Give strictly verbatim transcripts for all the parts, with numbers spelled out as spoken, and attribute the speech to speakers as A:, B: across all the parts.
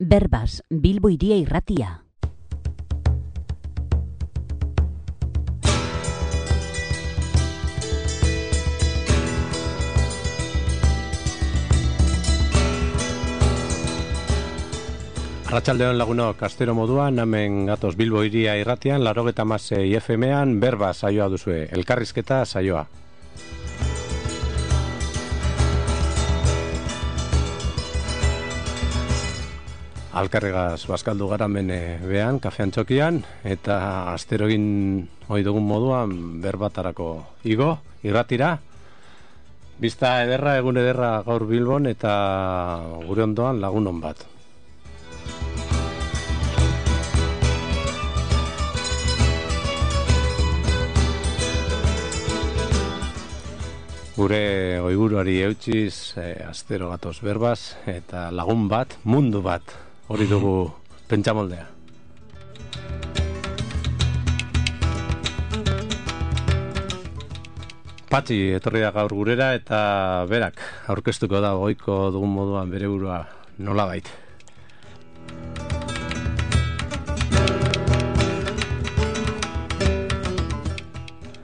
A: Berbas, Bilbo Hiria Irratia.
B: Arratsaldeon lagunok, astero moduan, hemen gatoz Bilbo Hiria Irratian, laurogeita hamasei F M-an Berbas saioa duzue, elkarrizketa saioa. Alkarregaz bazkaldu gara hemen behan, kafean txokian, eta astero egin ohi dugun moduan berbatarako igo, irratira. Bizta ederra, egun ederra gaur Bilbon, eta gure ondoan lagunon bat. Gure oiburuari eutxiz, eh, astero gatoz Berbas, eta lagun bat, mundu bat, hori dugu pentsamoldea. Patxi etorri da gaur gurera, eta berak aurkeztuko da goiko dugun moduan bere burua nolabait.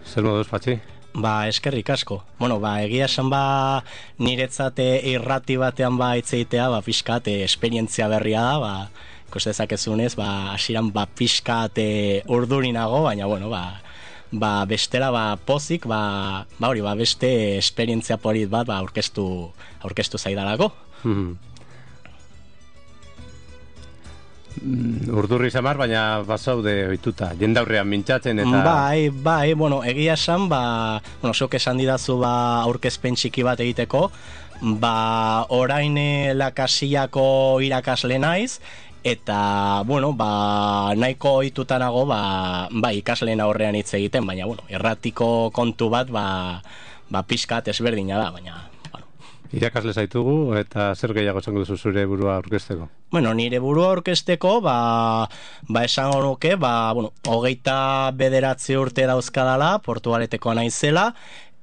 B: Zer moduz, Patxi?
C: Ba, eskerrik asko. Bueno, ba, egia esan ba, niretzate irrati batean ba itzeitea, ba, pixkat, esperientzia berria da, ba, ikuste dezakezunez, ba, hasieran ba, pixkat urdurinago, baina, bueno, ba, ba, bestela, ba, pozik, ba, ba, hori, ba, beste esperientzia polit bat, ba, aurkeztu, aurkeztu zaidalako.
B: Hmm. Urdurri zamar, baina bazaude ohituta, jendaurrean mintzatzen eta...
C: Bai, bai, bueno, egia esan, ba, bueno, zuk esan didazu ba, aurkezpen txiki bat egiteko, ba, orain lakasillako irakasle naiz, eta, bueno, ba, nahiko ohitutanago, ba, ba, ikasleen aurrean hitz egiten, baina, bueno, erratiko kontu bat, ba, ba, pixkat ezberdina da, baina...
B: Irakasle zaitugu, eta zer gehiago esango duzu zure burua aurkezteko?
C: Bueno, nire burua aurkezteko, ba, ba esango nuke, ba, bueno, hogeita bederatzi urte dauzkadala, Portugaleteko naizela,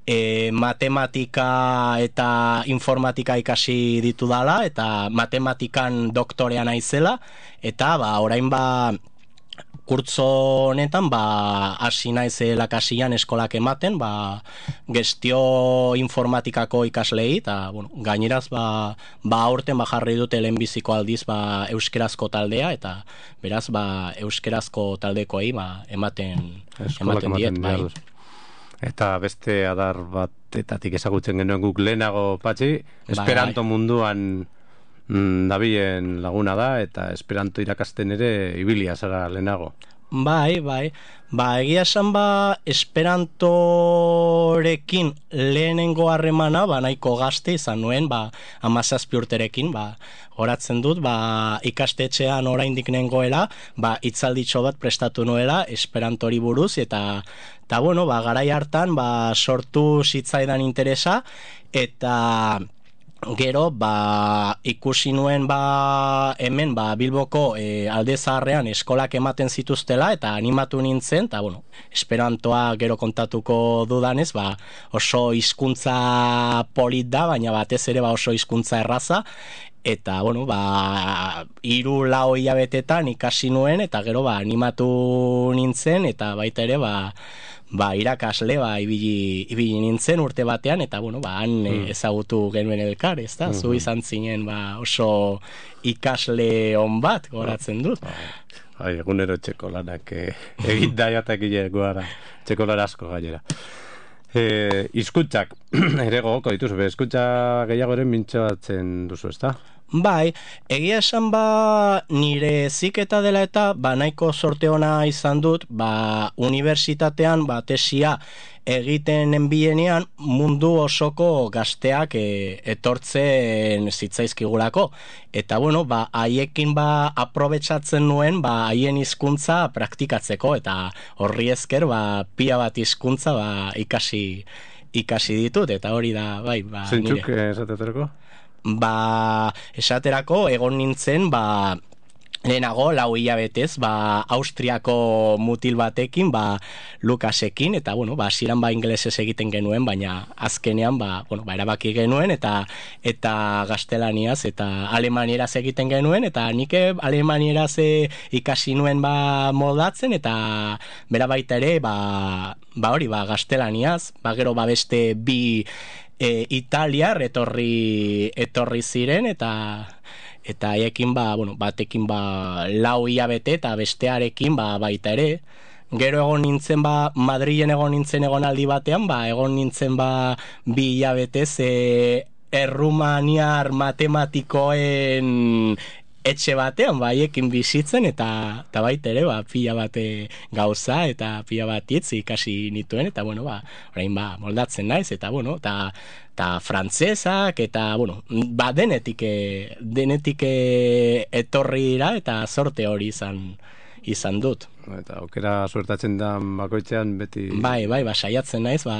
C: e, matematika eta informatika ikasi ditu dala, eta matematikan doktorea naizela, eta ba, orain ba, kurtzo honetan, ba, hasi naiz lakasian eskolak ematen, ba, gestio informatikako ikaslei, eta, bueno, gaineraz, ba, ba, aurten ba, jarri dute lehenbiziko aldiz, ba, euskerazko taldea, eta, beraz, ba, euskerazko taldekoei, ba, ematen, ematen diet, bai.
B: Eta beste adar batetatik ezagutzen genuen guk lehenago, Patxi, Esperanto bai, bai. munduan dabilen laguna da, eta Esperanto irakasten ere ibilia zara lehenago.
C: Bai, bai. Ba, egia esan ba, Esperantorekin lehenengo harremana, ba, nahiko gazte izan nuen, ba, hamazazpi urterekin, ba, horatzen dut, ba, ikastetxean oraindik nengoela, ba, hitzalditxo bat prestatu nuela Esperantori buruz, eta, eta bueno, ba, garai hartan, ba, sortu zitzaidan interesa, eta... Gero, ba, ikusi nuen ba, hemen ba, Bilboko e, alde zaharrean eskolak ematen zituztela eta animatu nintzen, eta bueno, Esperantoa gero kontatuko dudanez, ba, oso hizkuntza polit da, baina batez ere ba, oso hizkuntza erraza, eta bueno, ba, hiru lau hilabetetan ikasi nuen, eta gero ba, animatu nintzen, eta baita ere, ba, ba, irakasle, ba, ibili, ibili nintzen urte batean, eta, bueno, ba, han mm. ezagutu genuen elkar, ez da? Mm-hmm. Zu izan zinen, ba, oso ikasle on bat, goratzen dut.
B: Ai, egunero txeko lanak eh, egin daiatak gara, txeko lara asko gainera. Eh, Hizkuntzak, ere gogoko dituzu, hizkuntza gehiago ere mintzatzen duzu, ez da?
C: Bai, egia esan ba nire ziketa dela eta ba nahiko sorte ona izan dut, ba unibertsitatean ba tesia egiten enbienean mundu osoko gazteak e, etortzen zitzaizkigulako. Eta bueno, ba haiekin ba aprobetxatzen nuen ba haien hizkuntza praktikatzeko, eta horri esker ba pila bat hizkuntza ba ikasi ikasi ditut, eta hori da bai, ba
B: Zeintzuk esateterako?
C: Ba, esaterako egon nintzen, ba, lehenago, lau hilabetez, ba, Austriako mutil batekin, ba, Lukasekin, eta, bueno, ba, hasieran ba, ingelesez egiten genuen, baina azkenean, ba, bueno, ba, erabaki genuen, eta eta gaztelaniaz, eta alemanieraz egiten genuen, eta nik alemanieraz ikasi nuen, ba, moldatzen, eta bera baita ere, ba, ba hori, ba, gaztelaniaz, ba, gero, ba, beste bi e, italiar etorri, etorri ziren, eta eta haiekin ba, bueno, batekin ba lau hilabete eta bestearekin ba baita ere. Gero egon nintzen ba Madrilen egon nintzen egonaldi batean, ba egon nintzen ba bi hilabetez e, errumaniar matematikoen etxe batean, ba haiekin bizitzen, eta eta baita ere ba pila bate gauza eta pila bat hitz ikasi nituen, eta bueno, ba orain ba moldatzen naiz, eta bueno, eta eta frantsesak, eta, bueno, ba, denetik, denetik etorri dira, eta sorte hori izan, izan dut.
B: Eta aukera suertatzen da bakoitzean beti...
C: Bai, bai, ba, saiatzen naiz, ba,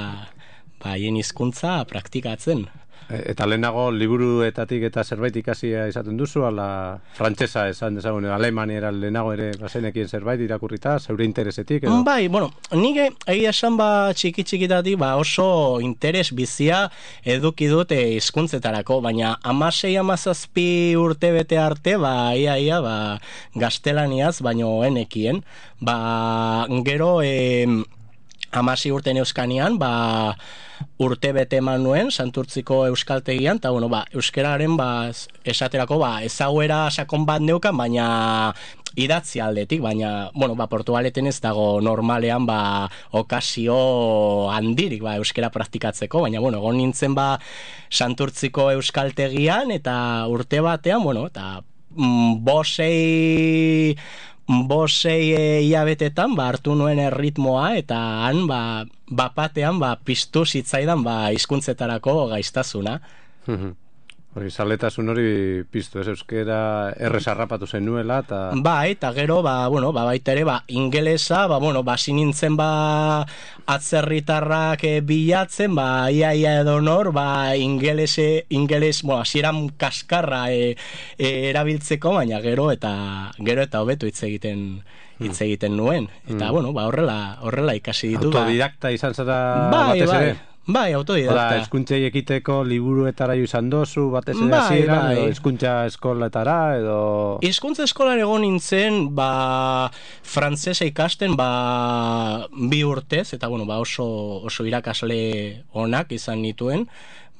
C: ba, hien hizkuntza praktikatzen.
B: Eta lehenago liburuetatik eta zerbait ikasia izaten duzu, ala frantsesa esan dezagun, alemaniera lehenago ere bazenekien zerbait irakurrita, zeure interesetik edo?
C: Bai, bueno, nik egia esan ba txiki txikitatik ba oso interes bizia eduki dut hizkuntzetarako, baina hamasei hamazazpi urte bete arte, ba ia ia ba gaztelaniaz baino enekien, ba gero eh hamasei urte euskanian, ba urte bete eman nuen Santurtziko euskaltegian, eta bueno, ba, euskararen ba, esaterako ba, ezaguera sakon bat neukan, baina idatzi aldetik, baina bueno, ba, Portugaleten ez dago normalean ba, okazio handirik ba, euskara praktikatzeko, baina bueno, egon nintzen ba, Santurtziko euskaltegian, eta urte batean, bueno, eta mm, bosei bosei hilabetetan ba, hartu nuen erritmoa, eta han ba, bapatean ba, piztu zitzaidan ba, hizkuntzetarako gaiztasuna.
B: Hori, zaletasun hori piztu, ez euskera errezarrapatu zen nuela, eta...
C: Bai, eta gero, ba, bueno, ba, baita ere, ba, ingelesa, ba, bueno, ba, sinintzen, ba, atzerritarrak e, bilatzen, ba, ia, ia edo nor, ba, ingelese, ingeles, bueno, asieran kaskarra e, e, erabiltzeko, baina gero, eta gero eta hobeto hitz egiten hitz egiten nuen, eta, mm. bueno, ba, horrela, horrela ikasi ditu.
B: Autodidakta ba... izan zara
C: bai,
B: batez
C: bai.
B: ere?
C: Bai, autodidakta.
B: Oda, eskuntzei ekiteko liburuetara jo izan dozu, batez ere
C: bai,
B: hasieran,
C: bai.
B: edo eskuntza eskoletara, edo...
C: Hizkuntza eskolan egon nintzen, ba, frantsesa ikasten, ba, bi urtez, eta, bueno, ba, oso, oso irakasle onak izan nituen,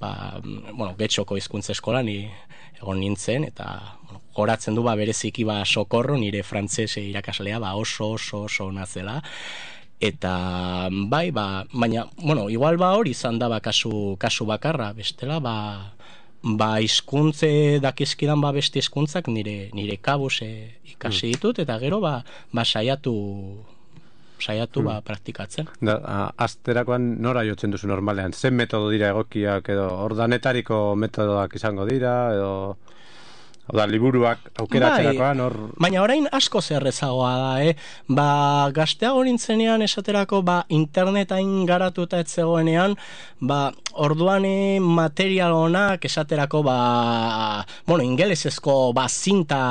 C: ba, bueno, Getxoko hizkuntza eskolan egon nintzen, eta, bueno, goratzen du, ba, bereziki, ba, Sokorro, nire frantsese irakaslea, ba, oso, oso, oso ona zela. Eta bai, ba, baina, bueno, igual ba hori izan da ba kasu, kasu bakarra, bestela, ba, ba hizkuntze dakizkidan ba beste hizkuntzak nire nire kabuz ikasi ditut, eta gero ba, ba saiatu saiatu hmm. ba praktikatzen.
B: Da, asterakoan nora jotzen duzu normalean? Zen metodo dira egokiak, edo ordanetariko metodoak izango dira, edo... Oda, liburuak aukeratzerakoan hor...
C: Bai, baina orain asko zerrezagoa da, eh? Ba, gazteago nintzenean esaterako, ba, internetain garatuta ez zegoenean, ba, orduan material honak esaterako, ba, bueno, ingelesezko, ba, zinta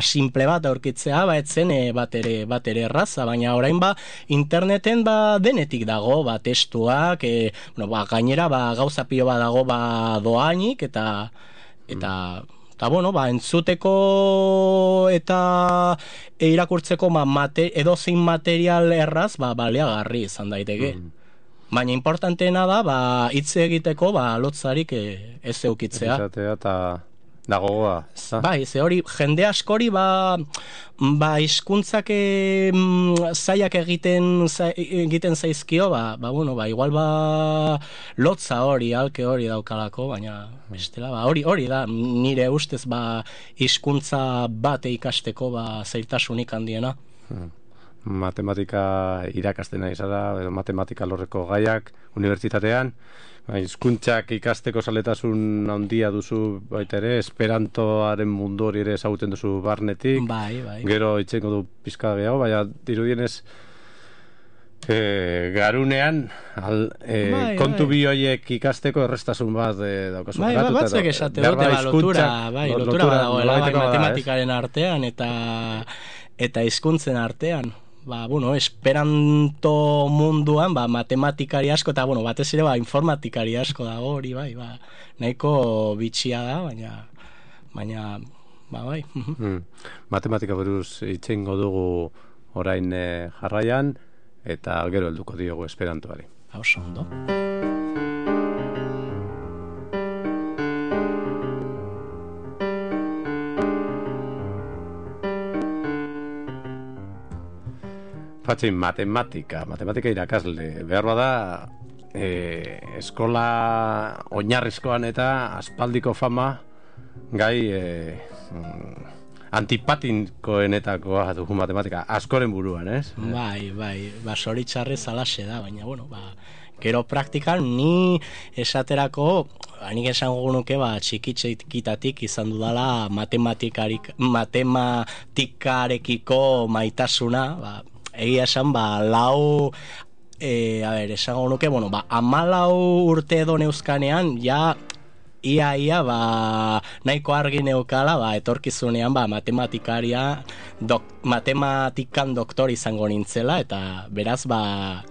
C: simple bat aurkitzea, ba, etzen bat ere, bat ere erraza, baina orain, ba, interneten, ba, denetik dago, ba, testuak, e, bueno, ba, gainera, ba, gauza pilo bat dago, ba, doainik, eta, eta, eta, bueno, ba, entzuteko eta irakurtzeko ma, mate, edozein material erraz, ba, baliagarri izan daiteke. Mm. Baina importanteena da, ba, hitz egiteko, ba, lotzarik ez eukitzea.
B: Ezatea eta dagoa.
C: Bai, ze hori, jende askori, ba, ba hizkuntzak e, zaiak egiten, za, egiten zaizkio, ba, ba, bueno, ba, igual, ba, lotza hori, alke hori daukalako, baina, bestela, ba, hori, hori da, nire ustez, ba, hizkuntza bate ikasteko, ba, zailtasunik handiena.
B: Hmm. Matematika irakasten nahi zara, edo matematika lorreko gaiak, unibertsitatean, hizkuntzak ikasteko zaletasun handia duzu baita ere, esperantoaren mundu hori ere ezagutzen duzu barnetik,
C: bai, bai.
B: Gero itxengo du pizka gehiago, baina dirudienez E, garunean al, e,
C: bai,
B: kontu
C: bai.
B: bi horiek ikasteko errestasun bat e, daukazu.
C: Bai, bai, batzuk esate dute, ba, lotura, bai, lotura, lotura badagoela, bai, matematikaren artean eta eta hizkuntzen artean. Ba, bueno, esperanto munduan, ba, matematikari asko, eta, bueno, batez ere, ba, informatikari asko dago hori, bai, ba, nahiko bitxia da, baina, baina, ba, bai.
B: mm. Matematika buruz itxengo dugu orain e, jarraian, eta gero helduko diogu esperantoari.
C: Oso ondo.
B: Patxin, matematika, matematika irakasle. Behar bada, e, eskola oinarrizkoan eta aspaldiko fama gai e, antipatikoenetakoa dugu matematika, askoren buruan, ez?
C: Bai, bai, ba, zoritxarrez alaxe da, baina, bueno, ba, gero praktikan ni esaterako, nik esango nuke, ba, txikitxikitatik izan dudala matematikarik, matematikarekiko maitasuna, ba, egia esan, ba, lau, e, a ber, esango nuke, bueno, ba, amalau urte edo neuzkanean, ja, ia, ia, ba, nahiko argi neukala, ba, etorkizunean, ba, matematikaria, dok, matematikan doktor izango nintzela, eta beraz, ba,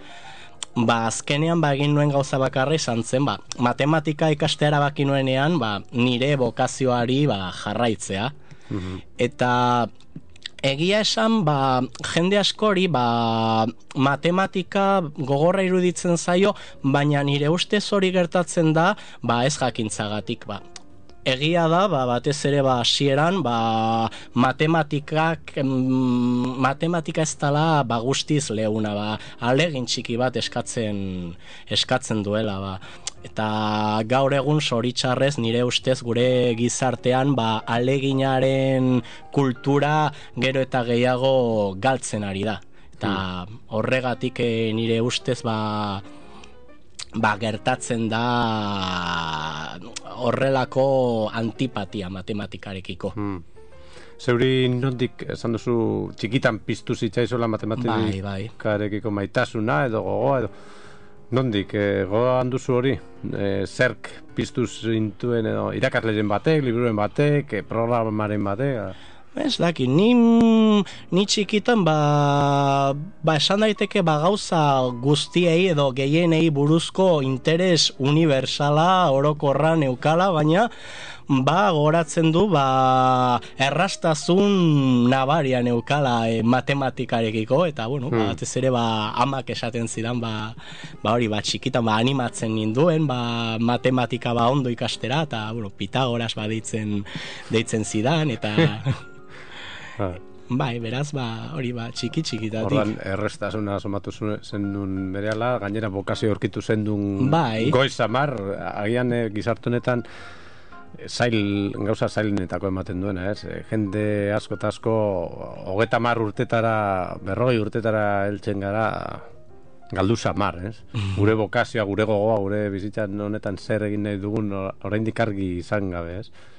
C: ba, azkenean, ba, egin nuen gauza bakarra izan zen, ba, matematika ikastea erabaki nuenean, ba, nire bokazioari, ba, jarraitzea. Mm-hmm. Eta egia esan, ba, jende askori, ba, matematika gogorra iruditzen zaio, baina nire ustez hori gertatzen da, ba, ez jakintzagatik, ba. Egia da, ba, batez ere, ba, hasieran, ba, matematikak, mm, matematika ez dela, ba, guztiz leuna, ba, alegin txiki bat eskatzen, eskatzen duela, ba. Eta gaur egun zoritxarrez nire ustez gure gizartean ba, aleginaren kultura gero eta gehiago galtzen ari da. Eta horregatik eh, nire ustez ba, ba, gertatzen da horrelako antipatia matematikarekiko.
B: Hmm. Zeuri nondik esan duzu txikitan piztu zitzaizola matematikarekiko bai, bai. Maitasuna edo gogoa edo nondik, e, gogoan duzu hori, e, zerk piztu zintuen edo irakasleen batek, liburuen batek, e, programaren batek?
C: Ez daki, ni, ni txikitan ba, ba esan daiteke ba gauza guztiei edo gehienei buruzko interes universala orokorra neukala, baina ba goratzen du ba errastazun nabaria neukala e, matematikarekiko, eta bueno, hmm. ba, batez ere ba amak esaten zidan ba, ba hori ba txikitan ba animatzen ninduen ba matematika ba ondo ikastera, eta bueno, Pitagoras ba deitzen, deitzen zidan, eta bai, beraz, ba, hori ba, txiki txikitatik.
B: Horran, errestasuna somatu zen duen berehala, gainera bokazio aurkitu zen duen
C: bai.
B: Goiz amar, agian e, gizartu honetan zail, gauza zailenetako ematen duena, ez? E, jende asko eta asko, hogeta mar urtetara, berrogei urtetara heltzen gara, galdu samar, ez? Gure bokazioa, gure gogoa, gure bizitzan honetan zer egin nahi dugun, oraindik argi izan gabe, ez?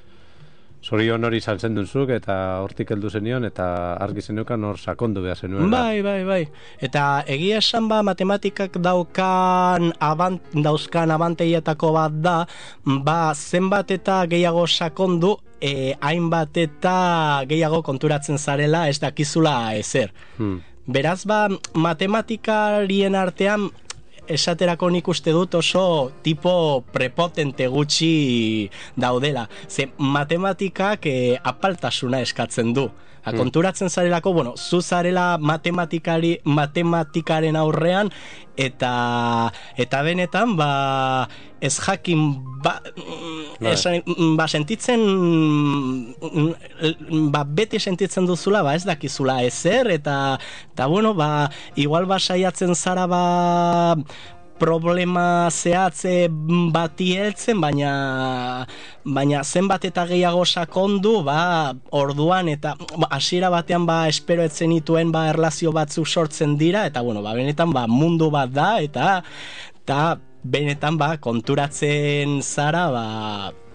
B: Zorion hori izan zen duzuk, eta hortik heldu zenion, eta argi zeneukan hor sakondu behar zenuen.
C: Bai, bai, bai. Eta egia esan ba, matematikak daukan abant, dauzkan abanteietako bat da, ba, zenbat eta gehiago sakondu, e, hainbat eta gehiago konturatzen zarela ez dakizula ezer. Hmm. Beraz, ba, matematikarien artean, esaterako nik uste dut oso tipo prepotente gutxi daudela. Ze matematikak eh, apaltasuna eskatzen du. Hmm. Konturatzen zarelako, bueno, zu zarela matematikari, matematikaren aurrean, eta eta benetan, ba, ez jakin, ba, esan, ba, sentitzen, ba, beti sentitzen duzula, ba, ez dakizula ezer, eta, eta bueno, ba, igual ba, saiatzen zara, ba, problema zehatze bati heltzen, baina baina zenbat eta gehiago sakondu, ba, orduan eta hasiera batean ba espero etzen dituen ba erlazio batzuk sortzen dira, eta bueno, ba benetan ba mundu bat da, eta eta benetan ba konturatzen zara ba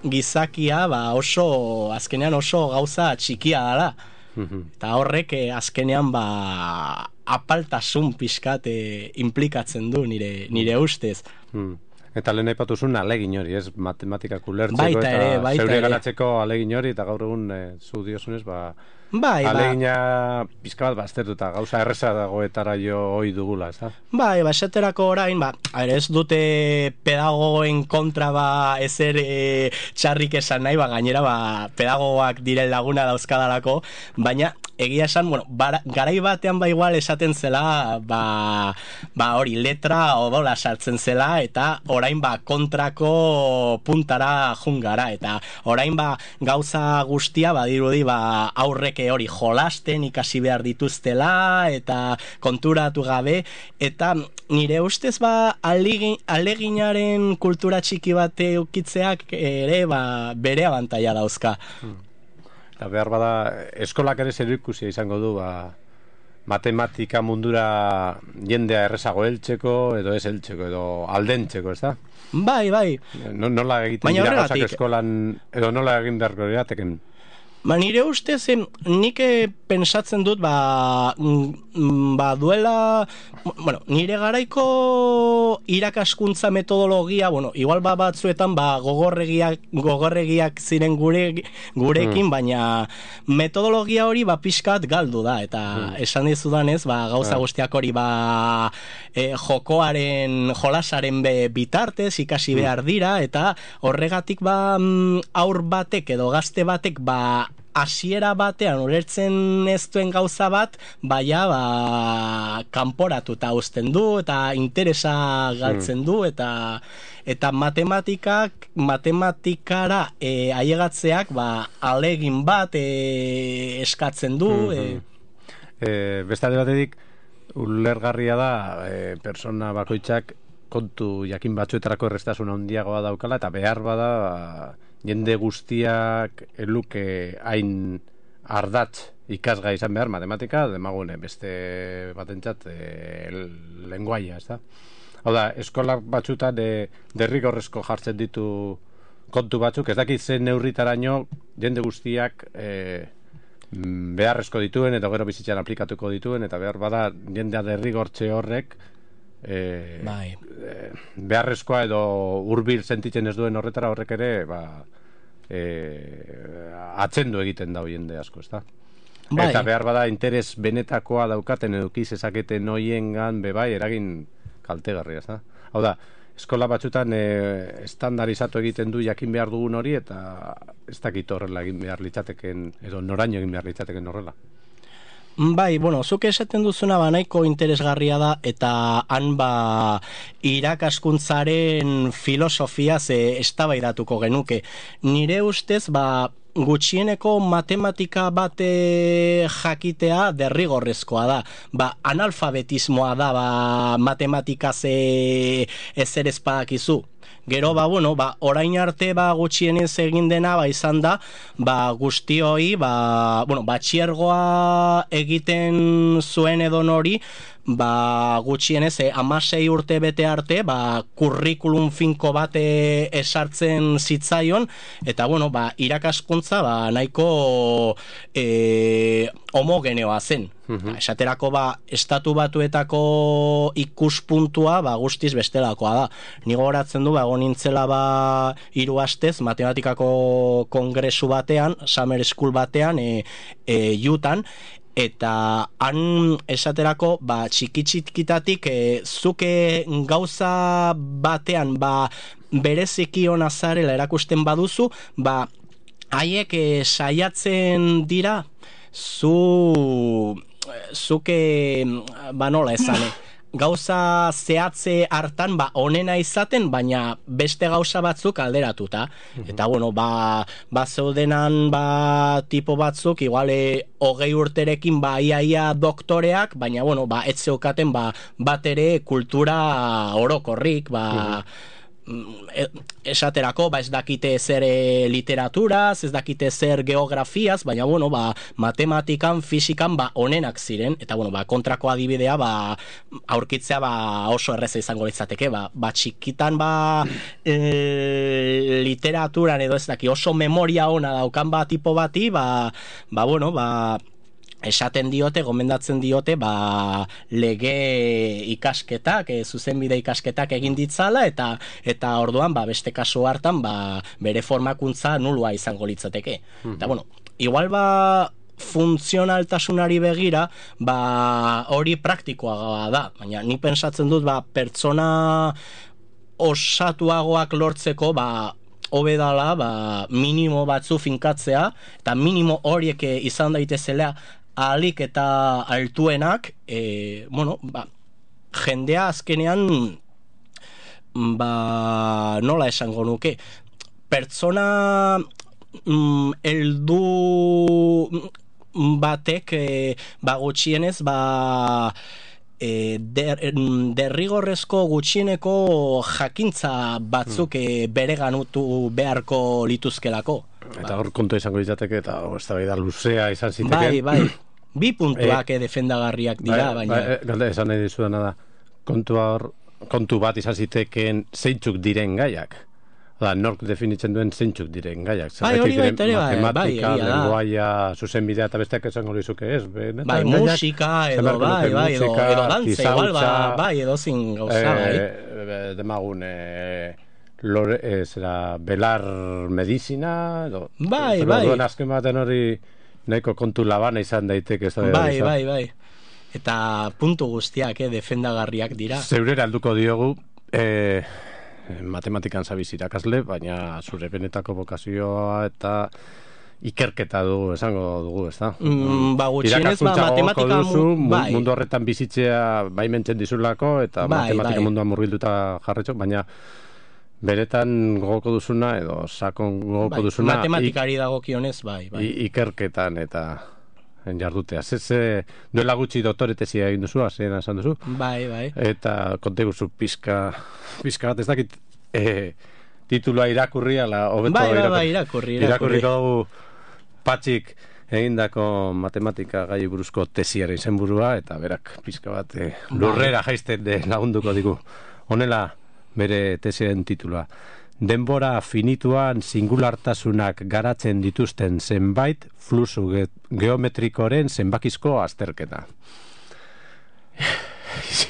C: gizakia ba oso azkenean oso gauza txikia dela. Eta horrek eh, azkenean ba apaltasun pixkat eh, implikatzen du nire, nire ustez.
B: Hmm. Eta lehen aipatu zuen alegin hori, ez? Matematikak ulertzeko
C: Baita
B: eta
C: ere, baita
B: zeure
C: ere.
B: garatzeko alegin hori, eta gaur egun e, zu diozunez, ba,
C: Bai, ba,
B: alegina pizka bat baztertuta, gauza erreza dagoetara jo hoi dugula, ez da?
C: bai, ba, esaterako orain, ba, ere ez dute pedagogoen kontra ba ezer e, txarrik esan nahi, ba, gainera, ba, pedagogoak diren laguna dauzkadalako, baina egia esan, bueno, bara, garai batean ba igual esaten zela, ba, ba hori letra odola sartzen zela, eta orain ba kontrako puntara jungara, eta orain ba gauza guztia badirudi ba aurrek hori jolasten ikasi behar dituztela, eta konturatu gabe, eta nire ustez ba alegin, aleginaren kultura txiki bat eukitzeak ere ba bere abantaila dauzka.
B: Hmm. Eta behar bada, eskolak ere zer ikusia izango du, ba, matematika mundura jendea errezago heltzeko, edo ez heltzeko, edo aldentzeko, ez da?
C: Bai, bai.
B: No, nola egiten
C: Baina
B: dira
C: horregatik-
B: gauzak eskolan, edo nola egin beharko irateken?
C: Ba, nire ustez, em, nik eh, pensatzen dut, ba, mm, ba, duela, bueno, nire garaiko irakaskuntza metodologia, bueno, igual ba batzuetan, ba, gogorregiak, gogorregiak ziren gure, gurekin, baina metodologia hori, ba, pixkat galdu da, eta esan dizudanez, ba, gauza
B: Ah.
C: guztiak hori, ba, e, jokoaren, jolasaren be, bitartez, ikasi behar dira, eta horregatik, ba, mm, aur batek edo gazte batek, ba, hasiera batean ulertzen ez duen gauza bat, baina ba, kanporatuta uzten du, eta interesa galtzen du, eta eta matematikak, matematikara e, ailegatzeak ba, alegin bat e, eskatzen du. e,
B: E, beste alde batetik, ulergarria da, e, persona bakoitzak kontu jakin batzuetarako errestasun handiagoa daukala, eta behar bada, ba, jende guztiak eluke hain ardatz ikasgai izan behar matematika, demagune beste batentzat e, lenguaia, ez da? Hau da, eskola batzutan e, derrigorrezko jartzen ditu kontu batzuk, ez dakit zen neurritaraino jende guztiak e, beharrezko dituen, eta gero bizitzan aplikatuko dituen, eta behar bada jendea derrigortze horrek E,
C: bai.
B: e, beharrezkoa edo hurbil sentitzen ez duen horretara horrek ere ba, e, atzendu egiten da jende asko, ez da?
C: Bai.
B: Eta behar bada interes benetakoa daukaten edukiz ezaketen hoiengan bebai eragin kaltegarria, ez da? Hau da, eskola batzutan e, estandarizatu egiten du jakin behar dugun hori, eta ez dakit horrela egin behar litzateken, edo noraino egin behar litzateken horrela.
C: Bai, bueno, zuk esaten duzuna ba nahiko interesgarria da, eta han ba irakaskuntzaren filosofia ze eztabaidatuko genuke. Nire ustez ba gutxieneko matematika bate jakitea derrigorrezkoa da. Ba, analfabetismoa da ba matematika ze ezer ez badakizu. Gero, ba, bueno, ba, orain arte, ba, gutxienez egin dena, ba, izan da, ba, guztioi, ba, bueno, batxiergoa egiten zuen edo nori, ba, gutxienez, eh, amasei urte bete arte, ba, kurrikulum finko bate esartzen zitzaion, eta, bueno, ba, irakaskuntza, ba, nahiko e, homogeneoa zen. Ba, esaterako ba, estatu batuetako ikuspuntua ba, guztiz bestelakoa da. Ni gogoratzen du, ba, egon nintzela ba, hiru astez matematikako kongresu batean, summer school batean, e, e, Jutan, eta han esaterako ba, txiki-txikitatik e, zuke gauza batean ba, bereziki ona zarela erakusten baduzu, ba, haiek e, saiatzen dira zu zuke ba nola esan gauza zehatze hartan ba onena izaten, baina beste gauza batzuk alderatuta. Eta bueno, ba, ba zeudenan ba tipo batzuk iguale hogei urterekin ba iaia doktoreak, baina bueno, ba ez zeukaten ba bat ere kultura orokorrik, ba esaterako, ba ez dakite zer e, literaturaz, ez dakite zer geografiaz, baina bueno, ba matematikan, fisikan ba onenak ziren, eta bueno, ba kontrako adibidea ba aurkitzea ba oso erreza izango litzateke, ba, ba txikitan ba e, literaturan edo ez daki oso memoria ona daukan ba tipo bati, ba, ba bueno, ba esaten diote, gomendatzen diote, ba, lege ikasketak, e, zuzenbide ikasketak egin ditzala, eta eta orduan, ba, beste kasu hartan, ba, bere formakuntza nulua izango litzateke. Mm-hmm. Eta, bueno, igual, ba, funtzionaltasunari begira, ba, hori praktikoa da, baina ni pensatzen dut, ba, pertsona osatuagoak lortzeko, ba, hobe dala, ba, minimo batzu finkatzea, eta minimo horiek izan daitezela ahalik eta altuenak, e, bueno, ba, jendea azkenean, ba, nola esango nuke, pertsona mm, eldu batek, e, ba, gutxienez, ba, E, der, derrigorrezko gutxieneko jakintza batzuk mm. bere ganutu beharko lituzkelako.
B: Eta hor kontu izango litzateke, eta ez da luzea izan ziteke.
C: Bai, bai, bi puntuak e, defendagarriak dira,
B: bai,
C: baina...
B: Bai, galde, esan nahi dizudana da, kontu, hor, kontu bat izan zitekeen zeintzuk diren gaiak. Da, nork definitzen duen zeintzuk diren gaiak.
C: Bai, hori baita ere, bai,
B: matematika, bai, lenguaia, zuzenbidea, eta besteak esango lizuke ez. Benetan,
C: bai,
B: gaiak,
C: musika, edo, bai, bai, edo, edo dantza, igual, ba, bai, edo zin gauza, bai.
B: E, demagun, e, lore, e, zera, belar medizina, edo,
C: bai, bai.
B: Duen azken baten hori nahiko kontu labana izan daiteke. Ez da,
C: bai, bai, bai. Eta puntu guztiak, eh, defendagarriak dira.
B: Zeurera alduko diogu, eh, matematikan zabiz irakasle, baina zure benetako bokazioa eta ikerketa du, esango dugu, ez da?
C: Mm, ba, gutxienez, ba, matematika...
B: duzu,
C: bai.
B: Mundu horretan bizitzea baimentzen dizulako, eta bai, matematika bai. Munduan murgilduta jarretxo, baina beretan gogoko duzuna, edo sakon gogoko
C: bai,
B: duzuna...
C: Matematikari dagokionez, bai, bai.
B: Ikerketan eta jardutea. Ze, ze duela gutxi doktoretezia egin duzu, azena esan duzu.
C: Bai, bai.
B: Eta konte guzu pizka, pizka bat ez dakit e, titulua irakurri, ala, hobeto
C: bai, bai,
B: irakurri.
C: Bai, irakurri, irakurri.
B: Irakurriko dugu Patxik egindako matematika gai buruzko tesiaren izenburua, eta berak pizka bat e, lurrera jaisten de lagunduko digu. Honela bere tesiaren titulua. Denbora finituan singulartasunak garatzen dituzten zenbait fluxu ge geometrikoren zenbakizko azterketa.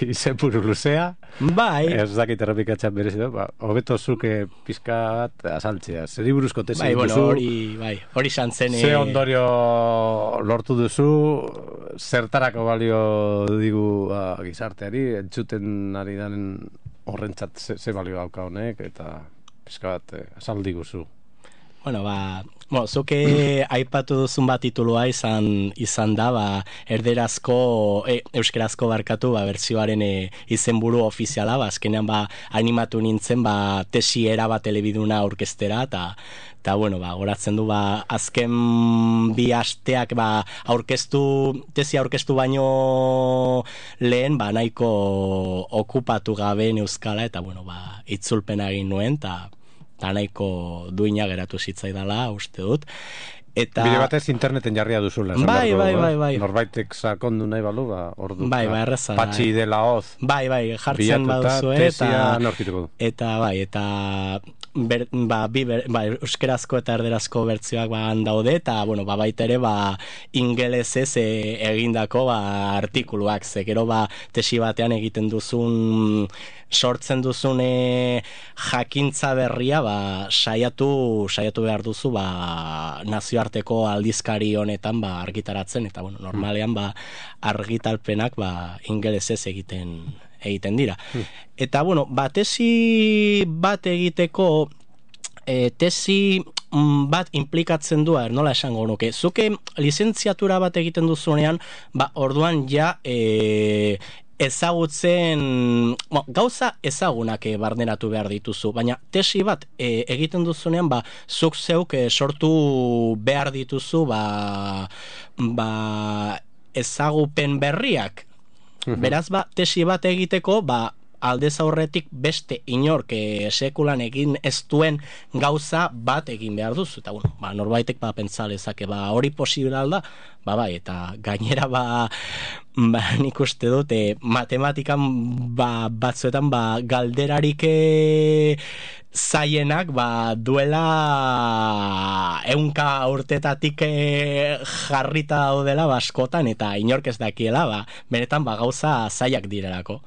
B: Izenburu luzea.
C: Bai.
B: Ez dakit errepikatzen berezitu, ba, hobeto zuke pizka bat azaltzea. Zeri buruzko tesi
C: bai, bueno,
B: duzu.
C: Hori, bai, hori santzen...
B: Ze ondorio lortu duzu, zertarako balio digu ba, gizarteari, entzuten ari daren horrentzat ze, ze balio dauka honek, eta... pizka bat, eh, azaldi guzu.
C: Bueno, ba, bueno, zuke aipatu duzun bat titulua izan, izan da, ba, erderazko, e, euskerazko barkatu, ba, bertsioaren e, izenburu ofiziala, ba, azkenean, ba, animatu nintzen, ba, tesi era bat elebiduna aurkeztera, eta, eta, bueno, ba, goratzen du, ba, azken bi asteak, ba, aurkeztu, tesi aurkeztu baino lehen, ba, nahiko okupatu gabe euskala, eta, bueno, ba, itzulpena egin nuen, eta, eta nahiko duina geratu zitzaidala, uste dut. Eta... Bide
B: batez interneten jarria duzula.
C: Bai, bai, bai, bai.
B: Norbaitek sakondu nahi balu, ba, ordu.
C: Bai, bai, erreza.
B: Patxi de la hoz.
C: Bai, bai, jartzen baduzu, eta... Eta, bai, eta... Ber, ba, bi, ber, ba, euskerazko eta erderazko bertzioak ba, daude, eta, bueno, ba, baita ere, ba, ingelesez e, egindako, ba, artikuluak, ze, gero, ba, tesi batean egiten duzun, sortzen duzun e, jakintza berria, ba, saiatu, saiatu behar duzu, ba, nazioarteko aldizkari honetan, ba, argitaratzen, eta, bueno, normalean, ba, argitalpenak, ba, ingelesez egiten egiten dira. Hmm. Eta, bueno, ba, tesi bat egiteko, e, tesi bat implikatzen du, nola esango nuke, zuke lizentziatura bat egiten duzunean, ba, orduan ja, e, ezagutzen, bueno, gauza ezagunak e, barneratu behar dituzu, baina tesi bat e, egiten duzunean, ba, zuk zeuk e, sortu behar dituzu, ba, ba, ezagupen berriak. Beraz, ba, tesi bat egiteko, ba, aldez aurretik beste inork e, sekulan egin ez duen gauza bat egin behar duzu, eta bueno, ba, norbaitek ba, pentsa lezake, ba, hori posible alda, ba, bai, eta gainera ba, ba nik uste dut, e, matematikan ba, batzuetan ba, galderarik e, zaienak ba, duela eunka urtetatik e, jarrita daudela baskotan, eta inork ez dakiela, ba, benetan ba, gauza zaiak direlako.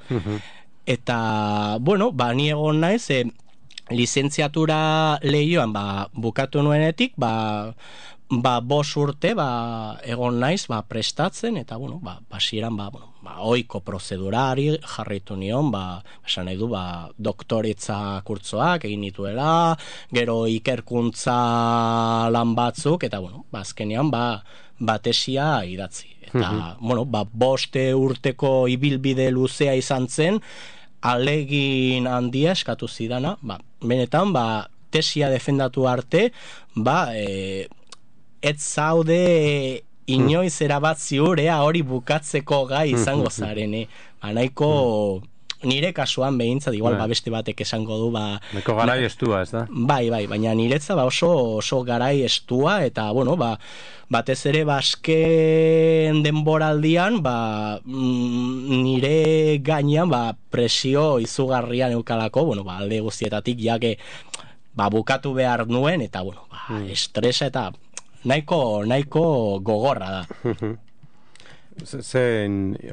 C: Eta, bueno, ba, ni egon naiz, e, lizentziatura lehioan ba, bukatu nuenetik, ba, ba, bos urte ba, egon naiz ba, prestatzen, eta, bueno, ba, basieran, ba, bueno, ba, oiko prozedurari jarraitu nion, ba, esan nahi du, ba, doktoretza kurtzoak egin nituela, gero ikerkuntza lan batzuk, eta, bueno, ba, azkenean, ba, batesia idatzi. Eta, bueno, ba, boste urteko ibilbide luzea izan zen, alegin handia eskatu zidana, ba, benetan, ba, tesia defendatu arte, ba, e, ez zaude inoiz erabat ziurea hori bukatzeko gai izango zarene. Ba, nahiko nire kasuan behintzat, igual ba, beste batek esango du, ba...
B: Neko garai estua, ez da?
C: Bai, bai, baina niretza ba, oso, oso garai estua, eta, bueno, ba, batez ere basken denboraldian, ba, nire gainean, ba, presio izugarrian eukalako, bueno, ba, alde guztietatik, jake, ba, bukatu behar nuen, eta, bueno, ba, estresa eta nahiko, nahiko gogorra da.
B: Ze,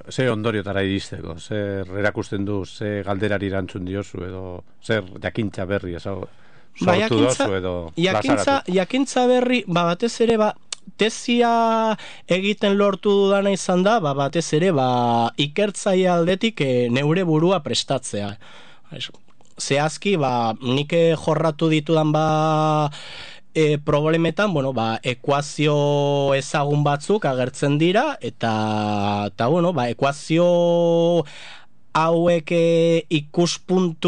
B: ze ondoriotara iristeko, zer erakusten du, ze galderari erantzun diozu, edo zer jakintza berri, ezago, sortu ba, jakintza, dozu, edo
C: jakintza, jakintza berri, ba, batez ere, ba, tesia egiten lortu dudana izan da, ba, batez ere, ba, ikertzaile aldetik e, neure burua prestatzea. Zehazki, ba, nik jorratu ditudan, ba, E, problemetan, bueno, ba, ekuazio ezagun batzuk agertzen dira, eta, eta bueno, ba, ekuazio hauek ikuspuntu